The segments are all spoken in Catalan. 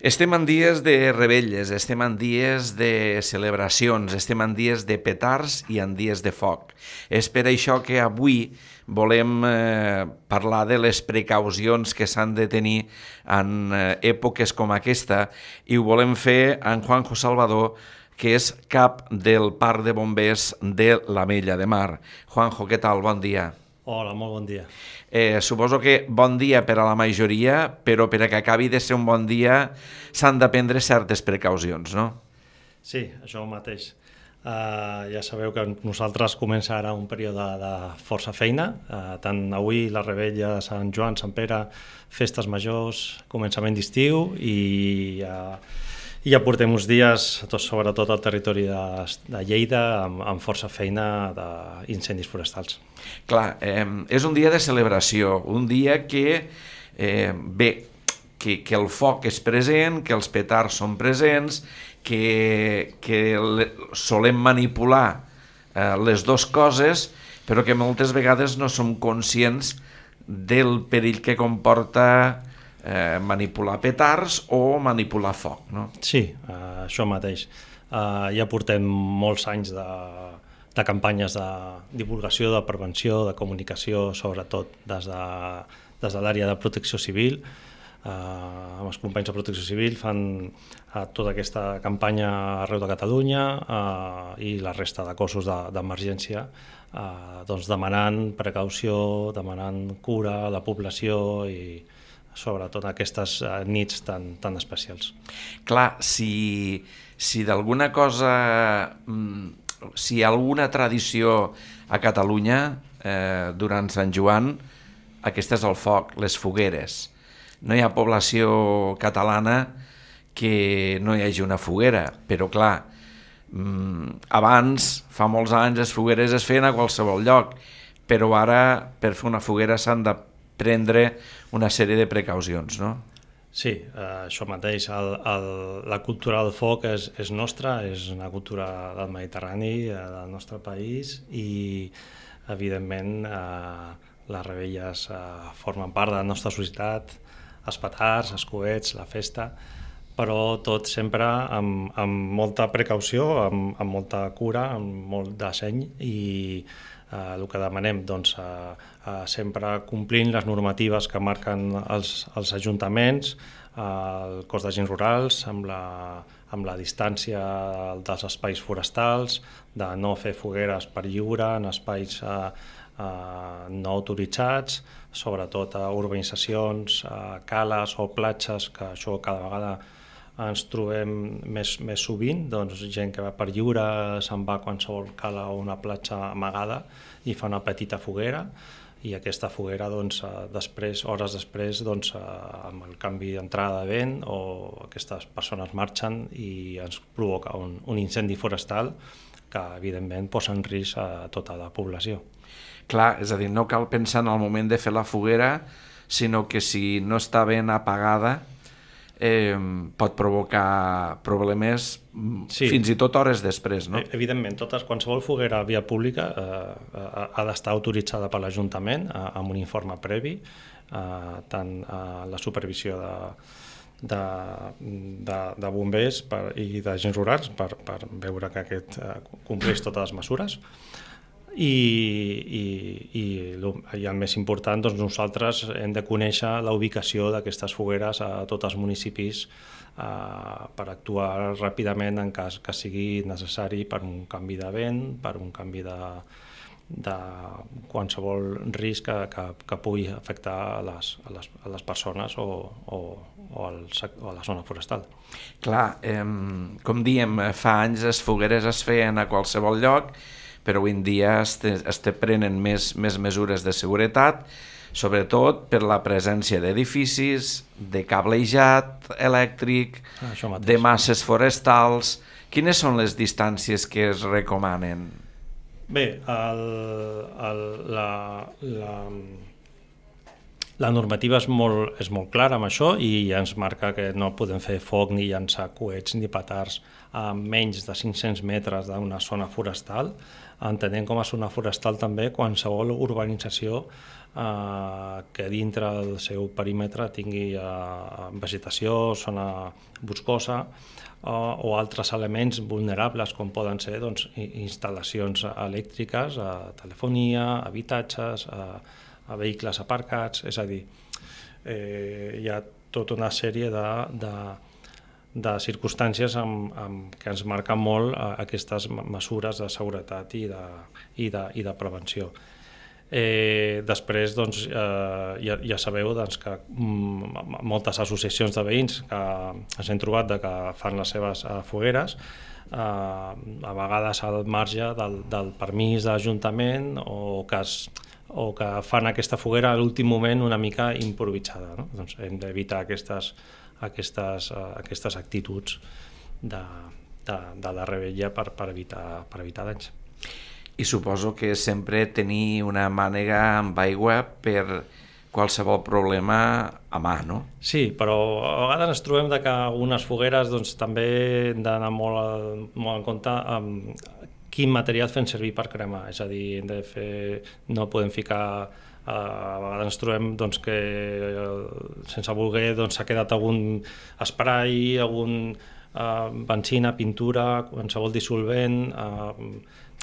Estem en dies de rebelles, estem en dies de celebracions, estem en dies de petards i en dies de foc. És per això que avui volem parlar de les precaucions que s'han de tenir en èpoques com aquesta i ho volem fer amb Juanjo Salvador, que és cap del Parc de Bombers de l'Ametlla de Mar. Juanjo, què tal? Bon dia. Hola, molt bon dia. Suposo que bon dia per a la majoria, però per a que acabi de ser un bon dia s'han de prendre certes precaucions, no? Sí, això mateix. Ja sabeu que nosaltres comença ara un període de força feina, tant avui la rebella de Sant Joan, Sant Pere, festes majors, començament d'estiu i ja portem uns dies, sobretot al territori de Lleida, amb força feina d'incendis forestals. Clar, és un dia de celebració, un dia que, que el foc és present, que els petards són presents, que solem manipular les dues coses, però que moltes vegades no som conscients del perill que comporta manipular petards o manipular foc, no? Sí, això mateix. Ja portem molts anys de campanyes de divulgació, de prevenció, de comunicació, sobretot des de l'àrea de protecció civil. Amb els companys de protecció civil fan tota aquesta campanya arreu de Catalunya i la resta de cossos d'emergència, doncs demanant precaució, demanant cura a la població i sobretot aquestes nits tan especials. Clar, si d'alguna cosa, si hi ha alguna tradició a Catalunya durant Sant Joan, aquesta és el foc, les fogueres. No hi ha població catalana que no hi hagi una foguera, però clar, abans, fa molts anys, les fogueres es feien a qualsevol lloc, però ara per fer una foguera s'han de prendre una sèrie de precaucions, no? Sí, això mateix. La cultura del foc és nostra, és una cultura del Mediterrani, del nostre país, i evidentment les rebelles formen part de la nostra societat, els petards, els coets, la festa, però tot sempre amb molta precaució, amb molta cura, amb molt de seny, i el que demanem, doncs, sempre complint les normatives que marquen els ajuntaments, el cos d'agents rurals, amb la distància dels espais forestals, de no fer fogueres per lliure en espais no autoritzats, sobretot a urbanitzacions, cales o platges, que això cada vegada ens trobem més sovint, doncs gent que va per lliure se'n va a qualsevol cala o una platja amagada i fa una petita foguera, i aquesta foguera, doncs, hores després, doncs, amb el canvi d'entrada de vent, o aquestes persones marxen i ens provoca un incendi forestal que evidentment posa en risc a tota la població. Clar, és a dir, no cal pensar en el moment de fer la foguera, sinó que si no està ben apagada pot provocar problemes, sí, fins i tot hores després, no? Evidentment, qualsevol foguera a via pública ha d'estar autoritzada per l'Ajuntament amb un informe previ, tant la supervisió de bombers i d'agents rurals per veure que aquest compleix totes les mesures. I el més important, doncs nosaltres hem de conèixer la ubicació d'aquestes fogueres a tots els municipis per actuar ràpidament en cas que sigui necessari per un canvi de vent, per un canvi de qualsevol risc que pugui afectar a les persones o a la zona forestal. Clar, com diem, fa anys les fogueres es feien a qualsevol lloc, però avui en dia es prenen més mesures de seguretat, sobretot per la presència d'edificis, de cablejat elèctric, de masses forestals. Quines són les distàncies que es recomanen? Bé, La normativa és molt clara amb això i ja ens marca que no podem fer foc ni llançar coets ni petards a menys de 500 metres d'una zona forestal, entenent com a zona forestal també qualsevol urbanització que dintre del seu perímetre tingui vegetació, zona boscosa o altres elements vulnerables com poden ser instal·lacions elèctriques, telefonia, habitatges, a vehicles aparcats, és a dir, hi ha tota una sèrie de circumstàncies que ens marquen molt aquestes mesures de seguretat i de prevenció. Després ja sabeu que moltes associacions de veïns que ens hem trobat que fan les seves fogueres, a vegades al marge del permís d'Ajuntament o que fan aquesta foguera a l'últim moment una mica improvisada, no? Doncs hem d'evitar aquestes actituds de la revetlla per evitar danys. I suposo que sempre tenir una mànega amb aigua per qualsevol problema a mà, no? Sí, però a vegades ens trobem que algunes fogueres també hem d'anar molt en compte amb quin material fem servir per cremar, és a dir, no podem ficar, a vegades ens trobem que sense voler s'ha quedat algun spray, algun benzina, pintura, qualsevol dissolvent,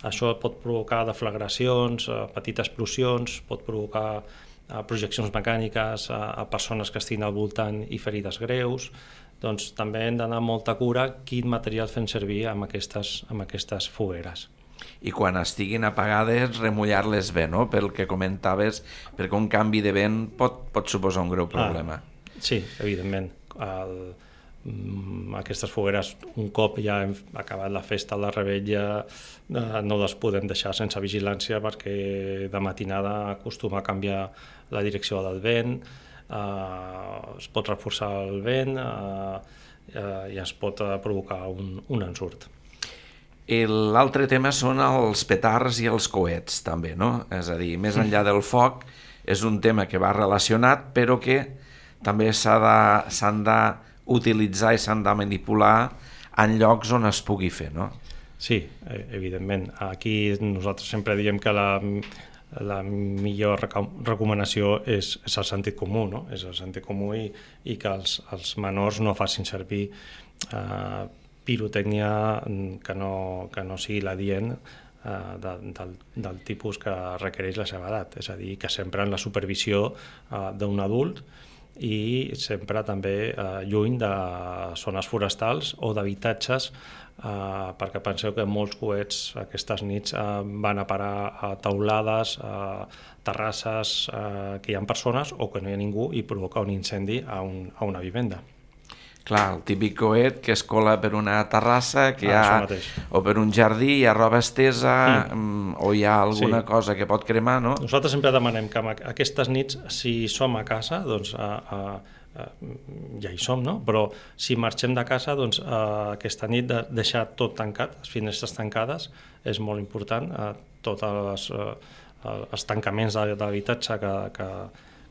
això pot provocar deflagracions, petites explosions, pot provocar projeccions mecàniques a persones que estiguin al voltant i ferides greus. Doncs també hem d'anar amb molta cura quin material fem servir amb aquestes fogueres. I quan estiguin apagades, remullar-les bé, no? Pel que comentaves, perquè un canvi de vent pot suposar un greu problema. Sí, evidentment. Aquestes fogueres, un cop ja hem acabat la festa, la revetlla, no les podem deixar sense vigilància perquè de matinada acostuma a canviar la direcció del vent, es pot reforçar el vent i es pot provocar un ensurt. L'altre tema són els petards i els coets, també, no? És a dir, més enllà del foc, és un tema que va relacionat, però que també s'han d'utilitzar i s'han de manipular en llocs on es pugui fer, no? Sí, evidentment. Aquí nosaltres sempre diem que la millor recomanació és el sentit comú, no? És el sentit comú i que els menors no facin servir pirotècnia que no sigui l'adient del tipus que requereix la seva edat, és a dir, que sempre en la supervisió d'un adult i sempre també lluny de zones forestals o d'habitatges, perquè penseu que molts coets aquestes nits van a parar a teulades, a terrasses que hi ha persones o que no hi ha ningú i provoca un incendi a una vivenda. Clar, el típic coet que es cola per una terrassa o per un jardí, hi ha roba estesa o hi ha alguna cosa que pot cremar, no? Nosaltres sempre demanem que aquestes nits, si som a casa, doncs ja hi som, no? Però si marxem de casa, doncs aquesta nit deixar tot tancat, les finestres tancades, és molt important, tots els tancaments d'habitatge que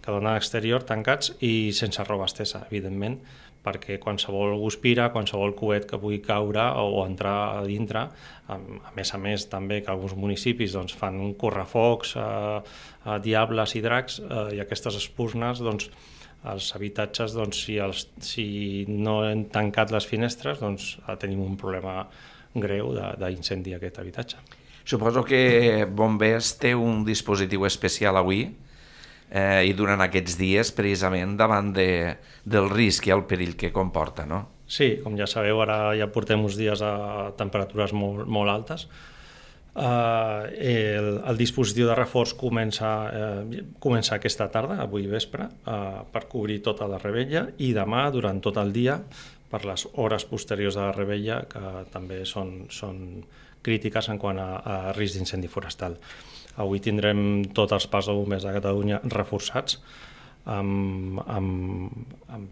donen a l'exterior tancats i sense roba estesa, evidentment, perquè qualsevol guspira, qualsevol coet que pugui caure o entrar a dintre, a més també que alguns municipis fan correfocs, diables i dracs, i aquestes espurnes, els habitatges, si no hem tancat les finestres, tenim un problema greu d'incendi a aquest habitatge. Suposo que Bombers té un dispositiu especial avui i durant aquests dies precisament davant del risc i el perill que comporta, no? Sí, com ja sabeu, ara ja portem uns dies a temperatures molt altes. El dispositiu de reforç comença aquesta tarda, avui vespre, per cobrir tota la revetlla i demà durant tot el dia per les hores posteriors de la revetlla, que també són crítiques en quant a risc d'incendi forestal. Avui tindrem tots els parcs de bombers de Catalunya reforçats amb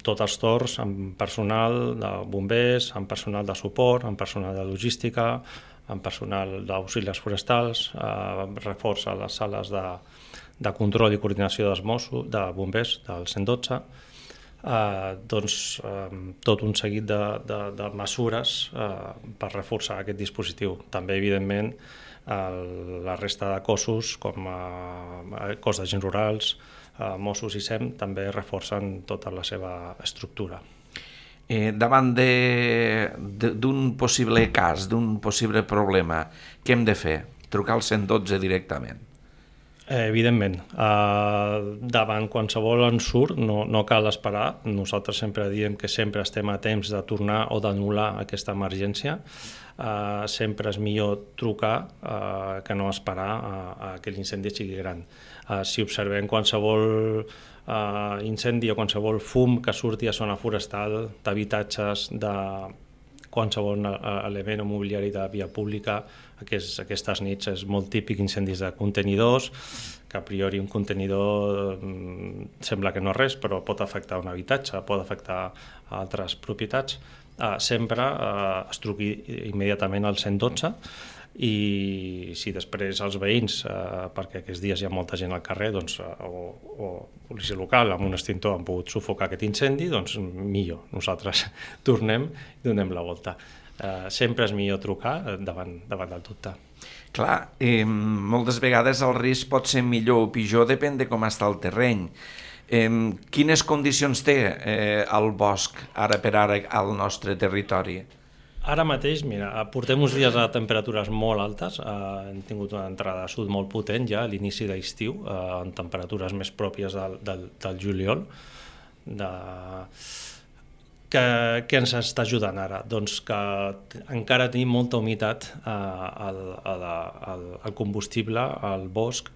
tots els torns, amb personal de bombers, amb personal de suport, amb personal de logística, amb personal d'auxiliars forestals, reforç a les sales de control i coordinació dels Mossos, de bombers, del 112, tot un seguit de mesures per reforçar aquest dispositiu. També, evidentment, la resta de cossos, com cos d'agents rurals, Mossos i SEM, també reforcen tota la seva estructura. Davant d'un possible cas, d'un possible problema, què hem de fer? Trucar al 112 directament? Evidentment, davant qualsevol ensurt no cal esperar. Nosaltres sempre diem que sempre estem a temps de tornar o d'anul·lar aquesta emergència. Sempre és millor trucar que no esperar a que l'incendi sigui gran. Si observem qualsevol incendi o qualsevol fum que surti a zona forestal, d'habitatges, de qualsevol element o mobiliari de via pública, aquestes nits és molt típic incendis de contenidors, que a priori un contenidor sembla que no és res, però pot afectar un habitatge, pot afectar altres propietats. Sempre es truqui immediatament al 112 i si després els veïns, perquè aquests dies hi ha molta gent al carrer, o policia local amb un extintor han pogut sufocar aquest incendi, doncs millor, nosaltres tornem i donem la volta. Sempre és millor trucar davant del dubte. Clar, moltes vegades el risc pot ser millor o pitjor, depèn de com està el terreny. Quines condicions té el bosc ara per ara al nostre territori? Ara mateix, mira, portem uns dies a temperatures molt altes, hem tingut una entrada a sud molt potent ja a l'inici d'estiu, en temperatures més pròpies del juliol. Què ens està ajudant ara? Doncs que encara tenim molta humitat al combustible, al bosc.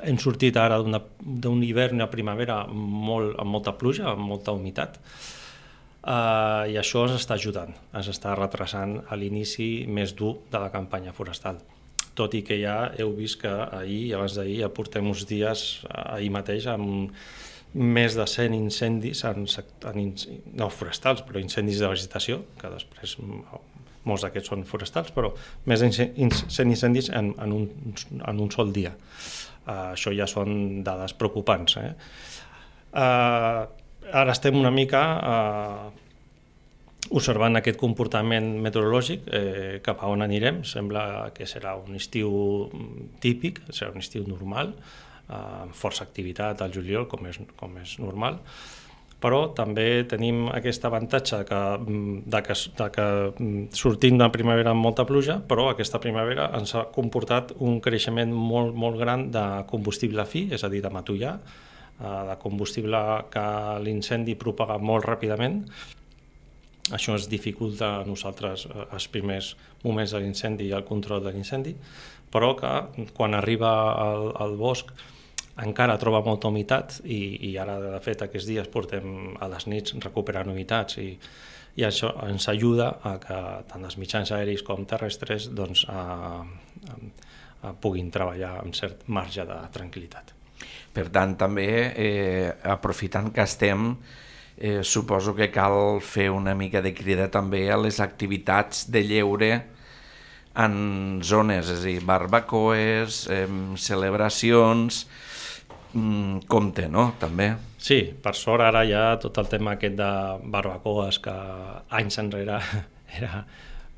Hem sortit ara d'un hivern i una primavera amb molta pluja, amb molta humitat, i això ens està ajudant, ens està retrasant a l'inici més dur de la campanya forestal. Tot i que ja heu vist que ahir i abans d'ahir ja portem uns dies, ahir mateix, amb més de 100 incendis, no forestals, però incendis de vegetació, que després molts d'aquests són forestals, però més de 100 incendis en un sol dia. Això ja són dades preocupants. Ara estem una mica observant aquest comportament meteorològic, cap a on anirem. Sembla que serà un estiu típic, serà un estiu normal, amb força activitat al juliol, com és normal, però també tenim aquest avantatge de que sortim de primavera amb molta pluja, però aquesta primavera ens ha comportat un creixement molt, molt gran de combustible fi, és a dir, de matollar, de combustible que l'incendi propaga molt ràpidament. Això ens dificulta a nosaltres els primers moments de l'incendi i el control de l'incendi, però que quan arriba al bosc encara troba molta humitat i ara, de fet, aquests dies portem a les nits recuperant humitats i això ens ajuda a que tant els mitjans aeris com terrestres puguin treballar amb cert marge de tranquil·litat. Per tant, també, aprofitant que estem, suposo que cal fer una mica de crida també a les activitats de lleure en zones, és a dir, barbacoes, celebracions, compte, no?, també. Sí, per sort ara ja tot el tema aquest de barbacoes que anys enrere era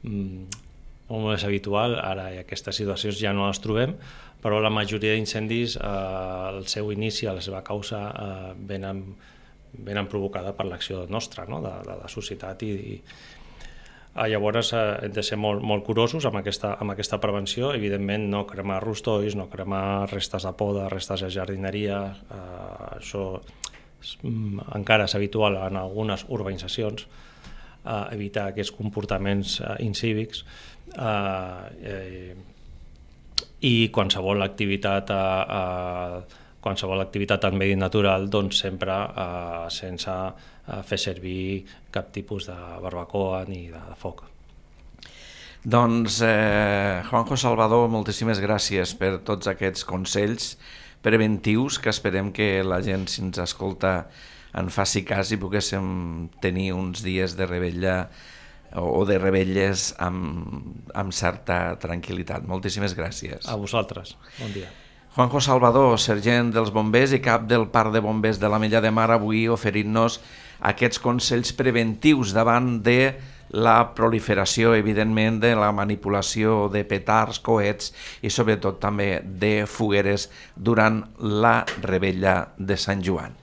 molt més habitual, ara aquestes situacions ja no les trobem, però la majoria d'incendis, el seu inici, la seva causa, venen provocada per l'acció nostra, no?, de la societat llavors hem de ser molt curosos amb aquesta prevenció. Evidentment no cremar rostolls, no cremar restes de poda, restes de jardineria, això encara és habitual en algunes urbanitzacions, evitar aquests comportaments incívics i qualsevol activitat en medi natural, doncs sempre sense fer servir cap tipus de barbacoa ni de foc. Doncs, Juanjo Salvador, moltíssimes gràcies per tots aquests consells preventius que esperem que la gent, si ens escolta, en faci cas i poguéssim tenir uns dies de revetlla o de revetlles amb certa tranquil·litat. Moltíssimes gràcies. A vosaltres. Bon dia. Juanjo Salvador, sergent dels bombers i cap del Parc de Bombers de l'Ametlla de Mar, avui oferint-nos aquests consells preventius davant de la proliferació, evidentment, de la manipulació de petards, coets i sobretot també de fogueres durant la revetlla de Sant Joan.